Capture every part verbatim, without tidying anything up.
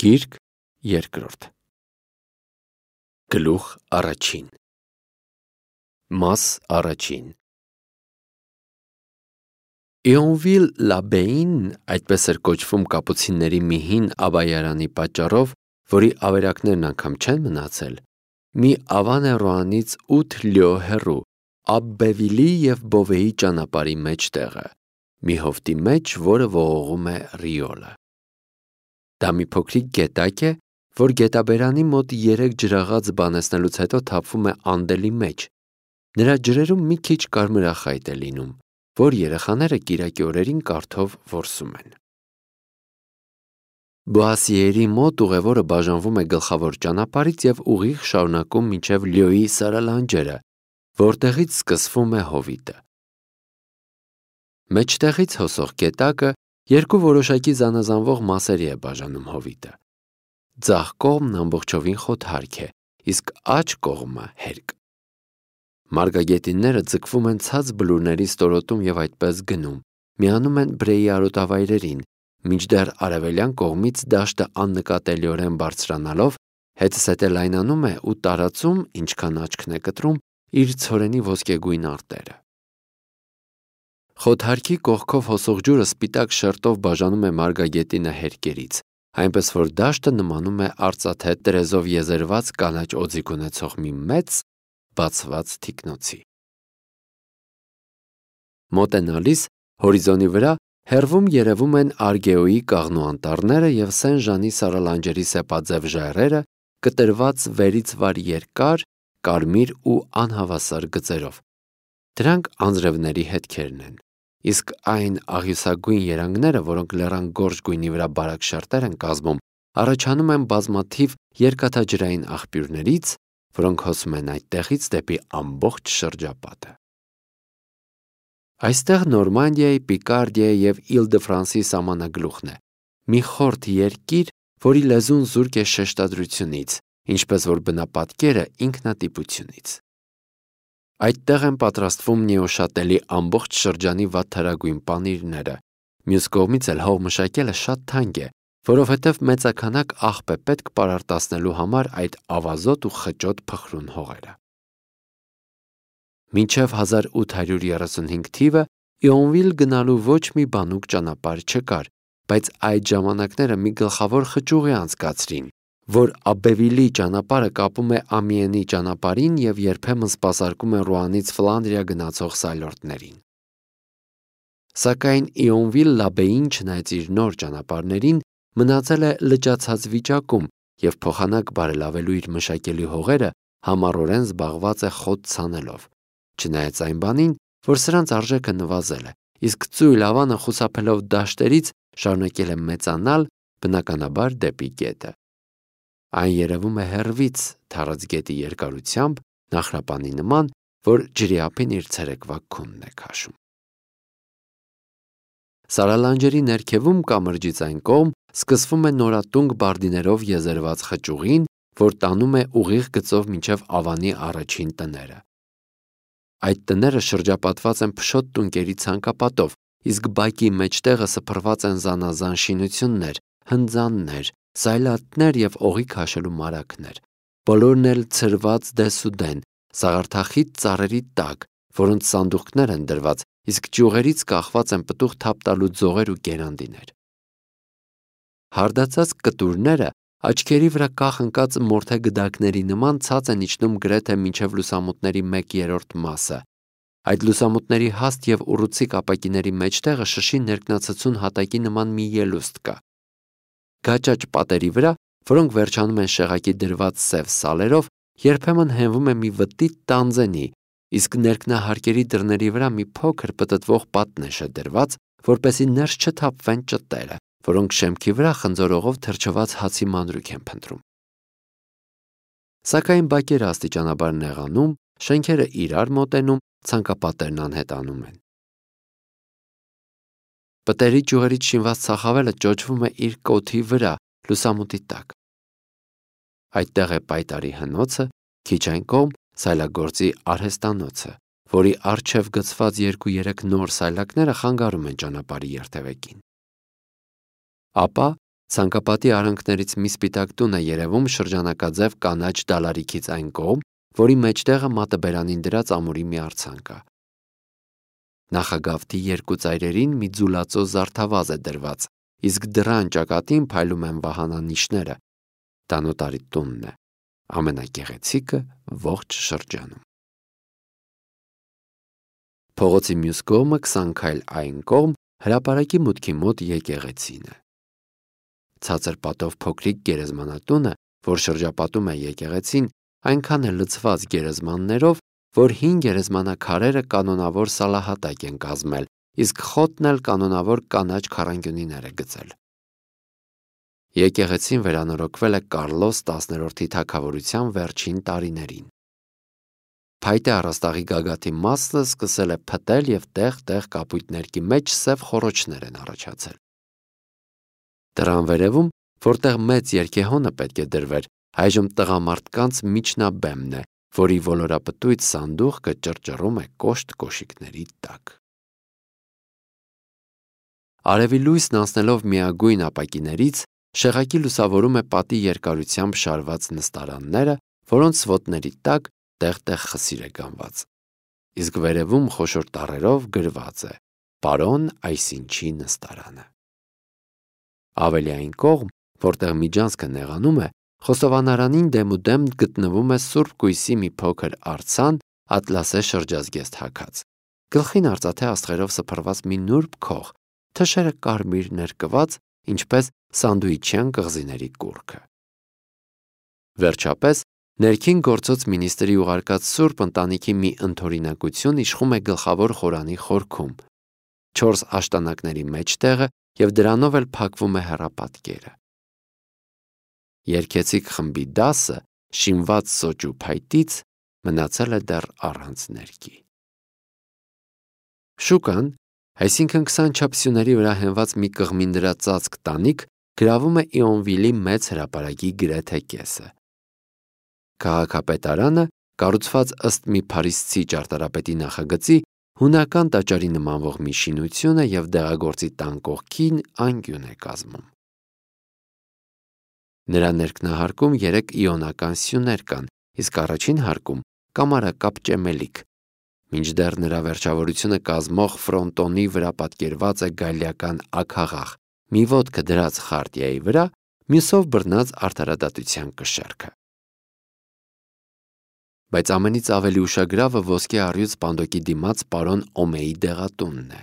Գիրք երկրորդ Գլուխ առաջին Մաս առաջին Իոնվիլ-լաբեին, այդպես էր կոչվում կապուցինների մի հին ավայարանի պատճառով, որի ավերակներն անգամ չեն մնացել, մի ավան է Ռոանից ութ լյո հեռու, Աբբևիլի և Բովեի ճանապարհի մեջտեղը, մի հովտի մեջ, որը ողողում է Ռիոլը։ Դա մի փոքրիկ գետակ է, որ գետաբերանի մոտ երեք ջրաղաց բանեցնելուց հետո թափվում է Անդելի մեջ։ Նրա ջրերում մի քիչ կարմրախայտ է լինում, որ երեխաները կիրակի օրերին կարթով որսում են։ Բոասիերի մոտ ուղևորը բաժանվում է գլխավոր ճանապարհից և ուղիղ շարունակում մինչև Լյոյի սարալանջերը, որտեղից սկսվում է հովիտը։ Մեջտեղից հոսող գետակը երկու որոշակի զանազանվող մասերի է բաժանում հովիտը։ Ձախ կողմն ամբողջովին խոթարք է, իսկ աջ կողմը հերկ։ Մարգագետինները ձգվում են ցած բլուրների ստորոտում և այդպես գնում, միանում են Բրեի արոտավայրերին, մինչդեռ արևելյան կողմից դաշտը աննկատելիորեն բարձրանալով հետզհետե լայնանում է ու տարածում, ինչքան աչքն է կտրում, իր ցորենի ոսկեգույն արտերը։ Խոթարքի կողքով հոսող ջուրը սպիտակ շերտով բաժանում է մարգագետինը հերկերից, այնպես որ դաշտը նմանում է արծաթե տրեզով եզերված կանաչ օձիք ունեցող մի մեծ բացված թիկնոցի։ Մոտենալիս հորիզոնի վրա հեռվում երևում են Արգեոյի կաղնու անտառները և Սեն-Ժանի սարալանջերի սեպաձև ժայռերը, կտրված վերից վար երկար, կարմիր ու անհավասար գծերով։ Դրանք անձրևների հետքերն են, իսկ այն աղյուսագույն երանգները, որոնք լեռան գորշ գույնի վրա բարակ շերտեր են կազմում, առաջանում են բազմաթիվ երկաթաջրային աղբյուրներից, որոնք հոսում են այդտեղից դեպի ամբողջ շրջապատը։ Այստեղ Նորմանդիայի, Պիկարդիայի և Իլ-դը-Ֆրանսի սահմանագլուխն է, մի խորթ երկիր, որի լեզուն զուրկ է շեշտադրությունից, ինչպես որ բնապատկերը ինքնատիպությունից։ Այդտեղ են պատրաստվում Նեոշատելի ամբողջ շրջանի վատթարագույն պանիրները, մյուս կողմից էլ հող մշակելը շատ թանկ է, որովհետև մեծաքանակ աղբ է պետք պարարտացնելու համար այդ ավազոտ ու խճոտ փխրուն հողերը։ Մինչև հազար ութ հարյուր երեսունհինգ թիվը Իոնվիլ գնալու ոչ մի բանուկ ճանապարհ չկար, բայց այդ ժամանակները մի գլխավոր խճուղ է անցկացրին, որ Աբբևիլի ճանապարհը կապում է Ամիենի ճանապարհին և երբեմն սպասարկում է Ռուանից Ֆլանդրիա գնացող սայլորդներին։ Սակայն Իոնվիլ-լաբեին, չնայած իր նոր ճանապարհներին, մնացել է լճացած վիճակում և փոխանակ բարելավելու իր մշակելի հողերը համառորեն զբաղված է խոտ ցանելով, չնայած այն բանին, որ սրանց արժեքը նվազել է, իսկ ծույլ ավանը խուսափելով դաշտերից շարունակել է մեծանալ, բնականաբար դեպի գետը։ Այն երևում է հեռվից թառած գետի երկարությամբ, նախրապանի նման, որ ջրի ափին իր ցերեկվա քունն է քաշում։ Սարալանջերի ներքևում կամրջից այն կողմ սկսվում է նորատունկ բարդիներով եզերված խճուղին, որ տանում է ուղիղ գծով մինչև ավանի առաջին տները։ Այդ տները շրջապատված են փշոտ տունկերի ցանկապատով, իսկ բակի մեջտեղը սփռված են զանազան շինություններ, հնձաններ, սայլատներ և օղի քաշելու մարագներ, բոլորն էլ ցրված դեսուդեն, սաղարթախիտ ծառերի տակ, որոնց սանդուղքներ են դրված, իսկ ճյուղերից կախված են պտուղ թափ տալու ձողեր ու գերանդիներ։ Հարդացած կտուրները աչքերի վրա կախ ընկած մորթե գդակների նման ցած են իջնում գրեթե մինչև լուսամուտների մեկ երրորդ մասը։ Այդ լուսամուտների հաստ և ուռուցիկ ապակիների մեջտեղը շշի ներքնացցուն հատակի նման մի ելուստ կա։ Գաճաճ պատերի վրա, որոնք վերջանում են շեղակի դրված սև սալերով, երբեմն հենվում է մի վտիտ տանձենի, իսկ ներքնահարկերի դռների վրա մի փոքր պտտվող պատնեշ է դրված, որպեսզի ներս չթափվեն ճտերը, որոնք շեմքի վրա խնձորողով թրջված հացի մանրուք են փնտրում։ Սակայն բակերը աստիճանաբար նեղանում, շենքերը իրար մոտենում, ցանկապատերն անհետանում են։ Պտերի ճյուղերից շինված ցախավելը ճոճվում է իր կոթի վրա, լուսամուտի տակ։ Այդտեղ է պայտարի հնոցը, քիչ այն կողմ սայլագործի արհեստանոցը, որի առջև գծված երկու-երեք նոր սայլակները խանգարում են ճանապարհի երթևեկին։ Ապա Ցանկապատի արանքներից մի սպիտակ տուն է երևում շրջանակաձև կանաչ դալարիքից այն կողմ, որի մեջտեղը մատաբերանին դրած ամուրի մի արձան կա։ Նախագավթի երկու ծայրերին մի ձուլածո զարդավազ է դրված, իսկ դռան ճակատին փայլում են վահանանիշները։ Դա նոտարի տունն է, ամենագեղեցիկը ողջ շրջանում։ Փողոցի մյուս կողմը քսան քայլ այն կողմ հրապարակի մուտքի մոտ եկեղեցին է։ Ցածր պատով փոքրիկ գերեզմանատունը, որ շրջապատում է եկեղեցին, այնքան է լցված գերեզմաններով, որ հին գերեզմանաքարերը կանոնավոր սալահատակ են կազմել, իսկ խոտն էլ կանոնավոր կանաչ քառանկյունիներ է գծել։ Եկեղեցին վերանորոգվել է Կարլոս տասներորդի թագավորության վերջին տարիներին։ Փայտե առաստաղի գագաթի մասը սկսել է փտել և տեղ-տեղ կապույտներքի մեջ սև խոռոչներ են առաջացել։ Դռան վերևում, որտեղ մեծ երգեհոնը պետք է դրվեր, այժմ տղամարդկանց միջնաբեմն է, որի ոլորապտույտ սանդուղքը ճռճռում է կոշտ կոշիկների տակ։ Արևի լույսն անցնելով միագույն ապակիներից, շեղակի լուսավորում է պատի երկարությամբ շարված նստարանները, որոնց սվոտների տակ տեղ-տեղ խսիր է գանված, իսկ վերևում խոշոր տառերով գրված է «Պարոն այսինչի նստարանը»։ Ավելի այն կողմ, որտեղ միջանցքը նեղանում է, խոստովանարանին դեմուդեմ գտնվում է սուրբ կույսի մի փոքր արձան, ատլասե շրջազգեստ հագած, գլխին արծաթե աստղերով սփռված մի նուրբ քող, թշերը կարմիր ներկված, ինչպես սանդուիչյան կղզիների կուռքը։ Վերջապես, ներքին գործոց մինիստրի ուղարկած սուրբ ընտանիքի մի ընդօրինակություն իշխում է գլխավոր խորանի խորքում, չորս աշտանակների մեջտեղը և դրանով էլ փակվում է հեռապատկերը։ Երգեցիկ խմբի դասը, շինված սոճ ու փայտից, մնացել է դեռ առանց ներկի։ Շուկան, այսինքն քսան չափսյուների վրա հենված մի կղմին դրած ծածկ տանիք, գրավում է Իոնվիլի մեծ հրապարակի գրեթե կեսը։ Քաղաքապետարանը, կառուցված ըստ մի փարիսցի ճարտարապետի նախագծի, հունական տաճարի նմանվող մի շինություն է և դեղագործի տան կողքին անկյուն է կազմում։ Նրա ներքնահարկում երեք իոնական սյուներ կան, իսկ առաջին հարկում կամարակապ ճեմելիք, մինչդեռ նրա վերջավորությունը կազմող ֆրոնտոնի վրա պատկերված է գալիական աքաղաղ, մի ոտքը դրած խարտիայի վրա, մյուսով բռնած արդարադատության կշեռքը։ Բայց ամենից ավելի ուշագրավը ոսկե առյուծ պանդոկի դիմաց պարոն Օմեի դեղատունն է։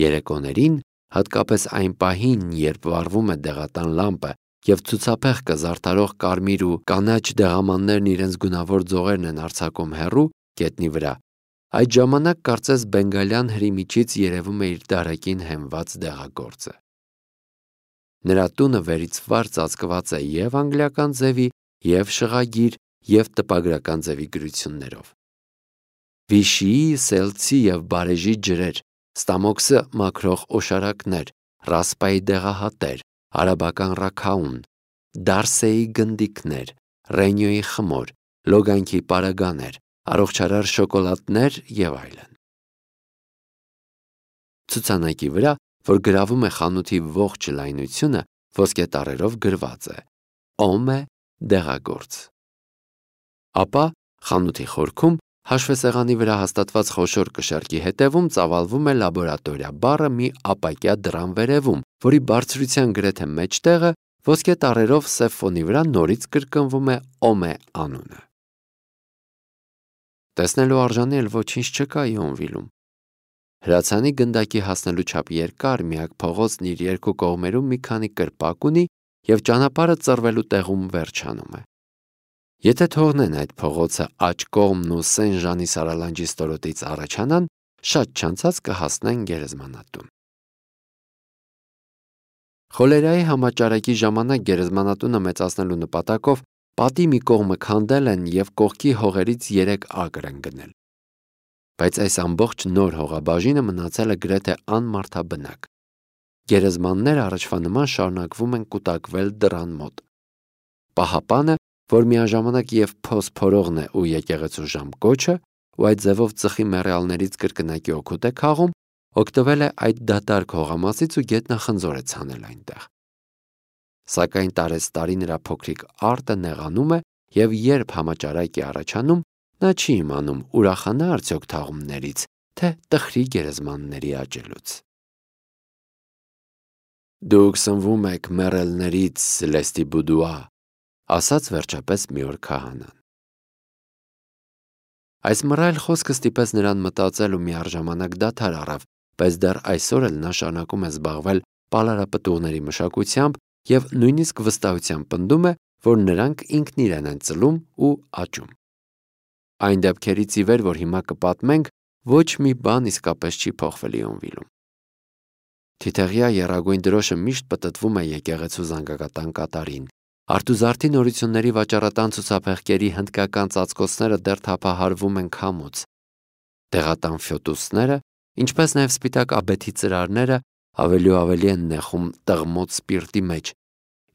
Երեկոներին, հատկապես այն պահին, երբ վառվում է դեղատան լամպը և ցուցափեղկը զարդարող կարմիր ու կանաչ դեղամաններն իրենց գունավոր ձողերն են արձակում հեռու, գետնի վրա, այդ ժամանակ կարծես բենգալյան հրի միջից երևում է իր դարակին հենված դեղագործը։ Նրա տունը վերից վար ծածկված է և անգլիական ձևի, և շղագիր, և տպագրական ձևի գրություններով։ Վիշիի, սելցի և բարեժի ջրեր, ստամոքսը մաքրող օշարակներ, ռասպայի դեղահատեր, արաբական ռաքաուն, դարսեի գնդիկներ, ռենյոյի խմոր, լոգանքի պարագաներ, առողջարար շոկոլադներ և այլն։ Ցուցանակի վրա, որ գրավում է խանութի ողջ լայնությունը, ոսկե տառերով գրված է «Օմե դեղագործ»։ Ապա խանութի խորքում, հաշվեսեղանի վրա հաստատված խոշոր կշեռքի հետևում ծավալվում է լաբորատորիա բառը մի ապակյա դռան վերևում, որի բարձրության գրեթե մեջտեղը ոսկե տառերով սև ֆոնի վրա նորից կրկնվում է Օմե անունը։ Տեսնելու արժանի էլ ոչինչ չկա Իոնվիլում։ Հրացանի գնդակի հասնելու չափ երկար միակ փողոցն իր երկու կողմերում մի քանի կրպակ ունի և ճանապարհը ծռվելու տեղում վերջանում է։ Եթե թողնեն այդ փողոցը աջ կողմն ու Սեն Ժանի սարալանջի ստորոտից առաջանան, շատ չանցած կհասնեն գերեզմանատուն։ Խոլերայի համաճարակի ժամանակ գերեզմանատունը մեծացնելու նպատակով պատի մի կողմը քանդել են և կողքի հողերից երեք ակր են գնել։ Բայց այս ամբողջ նոր հողաբաժինը մնացել է գրեթե անմարդաբնակ։ Գերեզմանները առաջվա նման շարունակվում են կուտակվել դռան մոտ։ Պահապանը, որ միաժամանակ և փոս փորողն է ու եկեղեցու ժամկոչը, ու այդ ձևով ծխի մեռյալներից կրկնակի օգուտ է քաղում, օգտվել է այդ դատարկ հողամասից ու գետնախնձոր է ցանել այնտեղ։ Սակայն տարեցտարի նրա փոքրիկ արտը նեղանում է և երբ համաճարակ է առաջանում, նա չի իմանում ուրախանա արդյոք թաղումներից, թե տխրի գերեզմանների աճելուց։ Դուք սնվում եք մեռելներից, Լեստիբուդուա, ասաց վերջապես մի օր քահանան։ Այս մռայլ խոսքը ստիպեց նրան մտածել ու միառժամանակ դադար առավ, բայց դեռ այսօր էլ նա շարունակում է զբաղվել պալարապտուղների մշակությամբ և նույնիսկ վստահությամբ պնդում է, որ նրանք ինքն իրեն են ծլում ու աճում։ Այն դեպքերից ի վեր, որ հիմա կպատմենք, ոչ մի բան իսկապես չի փոխվել Իոնվիլում։ Թիթեղյա եռագույն դրոշը միշտ պտտվում է եկեղեցու զանգակատան կատարին։ Արթուզարդի նորությունների վաճառատան ցուցափեղկերի հնդկական ծածկոցները դեռ թափահարվում են քամուց։ Տեղատան ֆյոտուսները, ինչպես նաև սպիտակ աբեթի ծրարները ավելի ու ավելի են նեխում տղմոց սպիրտի մեջ,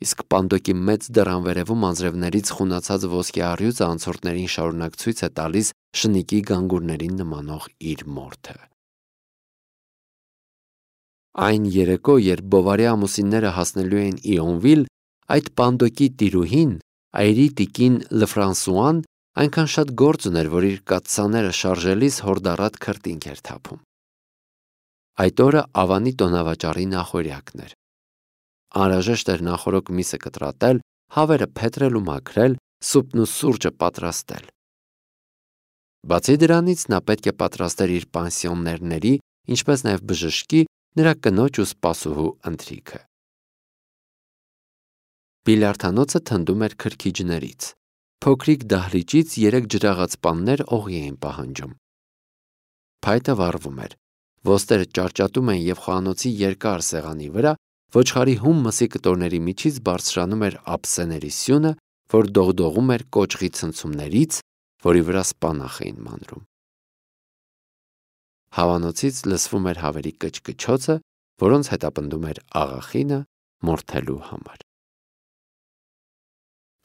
իսկ Պանդոկի մեծ դռան վերևում անձրևներից խունացած ոսկե առյուծը անցորդներին շարունակ ցույց է տալիս շնիկի գանգուրներին նմանող իր մորթը։ Այն երեկո, երբ Բովարի ամուսինները հասնելու էին Իոնվիլ, այդ Պանդոկի տիրուհին, այրի տիկին Լֆրանսուան, այնքան շատ գործ ուներ, որ իր կաթսաները շարժելիս հորդառատ քրտինք էր թափում։ Այդ օրը Ավանի տոնավաճառի նախօրյակն էր։ Անհրաժեշտ էր նախօրոք միսը կտրատել, հավերը փետրել ու մաքրել, սուպն ու սուրճը պատրաստել։ Բացի դրանից նա պետք է պատրաստեր իր պանսիոներների, ինչպես նաև բժշկի, նրա կնոջ ու սպասուհու ընթրիքը։ Բիլիարդանոցը թնդում էր քրքիջներից։ Փոքրիկ դահլիճից երեք ջրաղացպաններ օղի էին պահանջում։ Փայտը վառվում էր։ Ոստերը ճարճատում էին և խոհանոցի երկար սեղանի վրա ոչխարի հում մսի կտորների միջից բարձրանում էր ափսեների սյունը, որ դողդողում էր կոճղի ցնցումներից, որի վրա սպանախ էին մանրում։ Հավանոցից լսվում էր հավերի կչկչոցը, որոնց հետապնդում էր աղախինը մորթելու համար։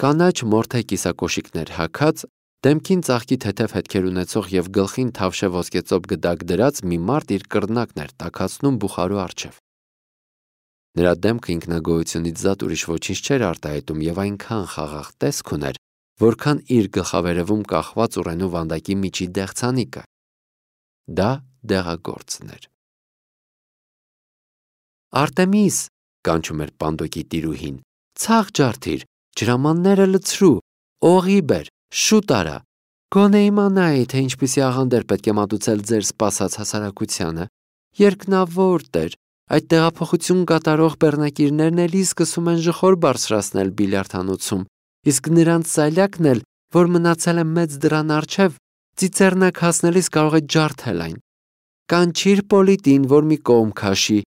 Կանաչ մորթե կիսակոշիկներ հագած, դեմքին ծաղկի թեթև հետքեր ունեցող և գլխին թավշե ոսկեծոպ գդակ դրած մի մարդ իր կռնակն էր տաքացնում բուխարու առջև։ Նրա դեմքը ինքնագոհությունից զատ ուրիշ ոչինչ չէր արտահայտում և այնքան խաղաղ տեսք ուներ, որքան իր գլխավերևում կախված ուռենու վանդակի միջի դեղցանիկը։ Դա դեղագործն էր։ Արտեմիս, կանչում էր Պանդոկի տիրուհին, ցաղ ջարդիր, ջրամանները լցրու, օղի բեր, շուտ արա, գոնե իմանայի, թե ինչպիսի աղանդեր պետք է մատուցել ձեր սպասած հասարակությանը։ Երկնավոր Տեր, այդ տեղափոխություն կատարող բեռնակիրներն էլի սկսում են ժխոր բարձրացնել բիլիարդանոցում, իսկ նրանց սայլակն էլ, որ մնացել է մեծ դռան առջև, ծիծեռնակ հասնելիս կարող է ջարդել այն։ Կանչիր Պոլիտին, որ մի կողմ քաշի,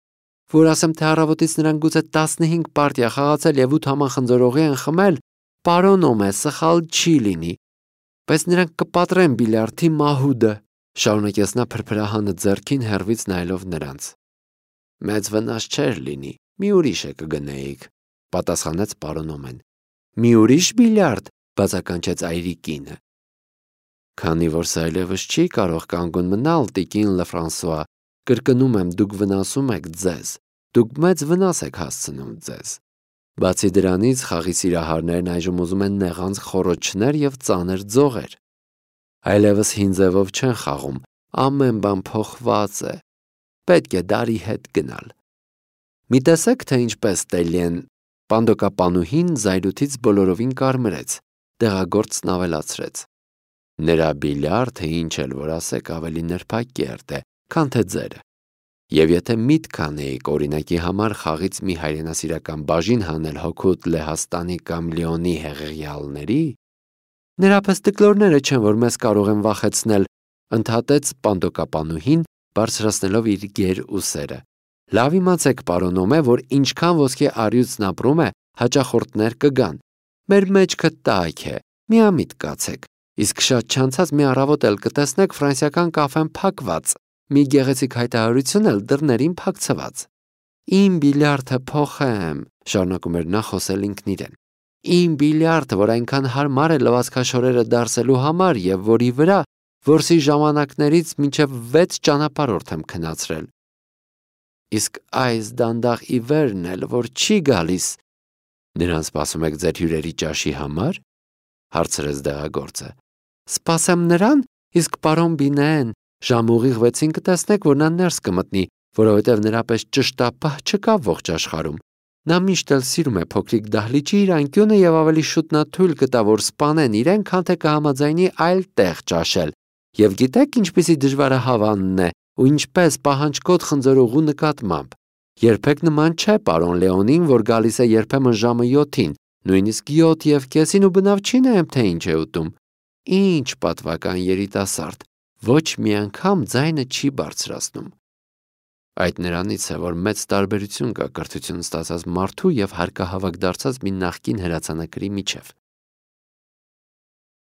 որ ասեմ, թե առավոտից նրանք գուցե տասնհինգ պարտիա խաղացել և ութ համան խնձորողի են խմել, պարոնում է, սխալ չի լինի, բայց նրանք կպատրեն բիլիարդի մահուդը, շարունակեց նա փրփրահանը ձեռքին հեռվից նայելով նրանց։ Մեծ վնաս չէր լինի, մի ուրիշը կգնեիք, պատասխանեց պարոնոմեն։ Մի ուրիշ բիլիարդ, բացականչեց այրի կինը։ Քանի որ սա այլևս չի կարող կանգուն մնալ, տիկին Լֆրանսուա, կրկնում եմ, դուք վնասում եք ձեզ, դուք մեծ վնաս եք հասցնում ձեզ։ Բացի դրանից, խաղի սիրահարներն այժմ ուզում են նեղանձ խոռոչներ և ծանր ձողեր։ Այլևս հին ձևով չեն խաղում, ամեն բան փոխված է։ Պետք է դարի հետ գնալ։ Մի տեսեք, թե ինչպես Տելիեն, Պանդոկապանուհին զայրույթից բոլորովին կարմրեց, տեղագործն ավելացրեց։ Նրա բիլիարդը, ինչ էլ որ ասեք, ավելի նրբակերտ է, քան թե ձերը։ Եվ եթե միտք անեիք օրինակի համար խաղից մի հայրենասիրական բաժին հանել հօգուտ Լեհաստանի կամ Լիոնի հեղեղյալների, նրա պես տկլորները չեն, որ մեզ կարող են վախեցնել, ընդհատեց Պանդոկապանուհին, բարձրացնելով իր գեր ուսերը։ Լավ իմացեք, պարոնոմե, որ ինչքան ոսկե առյուծն ապրում է, հաճախորդներ կգան։ Մեր մեջքը տաք է, միամիտ կացեք, իսկ շատ չանցած մի առավոտ էլ կտեսնեք ֆրանսիական կաֆեն փակված, մի գեղեցիկ հայտարարություն էլ դռներին փակցված։ Իմ բիլիարդը փոխեմ, շարունակում էր նա խոսել ինքն իրեն։ Իմ բիլիարդը, որ այնքան հարմար է լվացքաշորերը դարսելու համար և որի վրա որսի ժամանակներից մինչև վեց ճանապարհորդ եմ քնացրել։ Իսկ այս դանդաղ ի վերն էլ, որ չի գալիս, Նրան սպասում եք ձեր հյուրերի ճաշի համար, հարցրեց դեղագործը։ Սպասեմ նրան, իսկ պարոն Բինեն, ժամ ուղիղ վեցին կտեսնեք, որ նա ներս կմտնի, որովհետև նրա պես ճշտապահ չկա ողջ աշխարհում։ Նա միշտ էլ սիրում է փոքրիկ դահլիճի իր անկյունը եւ ավելի շուտ նա թույլ կտա, որ սպանեն իրեն, քան թե կհամաձայնի այլ տեղ ճաշել։ Եվ գիտեք ինչպիսի դժվարահավանն է ու ինչպես պահանջկոտ խնձորուղու նկատմամբ։ Երբեք նման չէ պարոն Լեոնին, որ գալիս է երբեմն ժամը յոթին, նույնիսկ յոթ եւ կեսին ու բնավ չի նայում, թե ինչ է ուտում։ Ինչ պատվական երիտասարդ, ոչ մի անգամ ձայնը չի բարձրացնում։ Այդ նրանից է, որ մեծ տարբերություն կա կրթություն ստացած մարդու եւ հարկահավաք դարձած մի նախկին հրացանակրի միջև։